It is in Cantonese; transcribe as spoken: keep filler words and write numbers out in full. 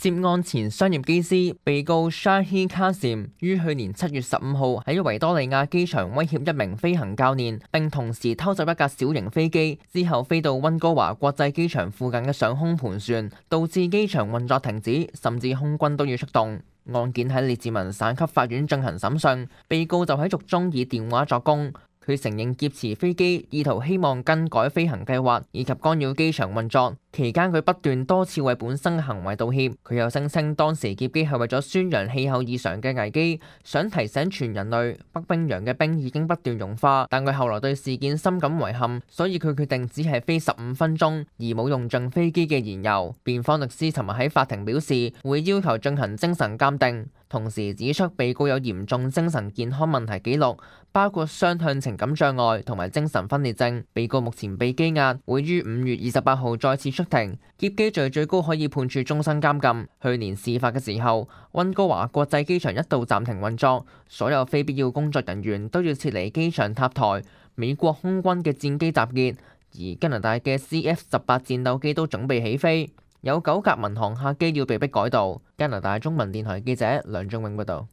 涉案前商業機師被告 Shaheen Qasim 於去年七月十五號喺維多利亞機場威脅一名飛行教練，並同時偷走一架小型飛機，之後飛到溫哥華國際機場附近嘅上空盤旋，導致機場運作停止，甚至空軍都要出動。案件喺列治文省級法院進行審訊，被告就喺獄中以電話作供。佢承認劫持飛機，意圖希望更改飛行計劃以及干擾機場運作。期間佢不斷多次為本身嘅行為道歉。佢又聲稱當時劫機係為咗宣揚氣候異常嘅危機，想提醒全人類北冰洋嘅冰已經不斷融化。但佢後來對事件深感遺憾，所以佢決定只係飛十五分鐘，而冇用盡飛機嘅燃油。辯方律師尋日喺法庭表示，會要求進行精神鑑定，同時指出被告有嚴重精神健康問題記錄，包括雙向情感障礙同埋精神分裂症。被告目前被羈押，會於五月二十八號再次出庭。劫機罪最高可以判處終身監禁。去年事發嘅時候，溫哥華國際機場一度暫停運作，所有非必要工作人員都要撤離機場塔台。美國空軍嘅戰機集結，而加拿大嘅 C F 十八戰鬥機都準備起飛，有九架民航客機要被迫改道。加拿大中文電台記者梁仲永報道。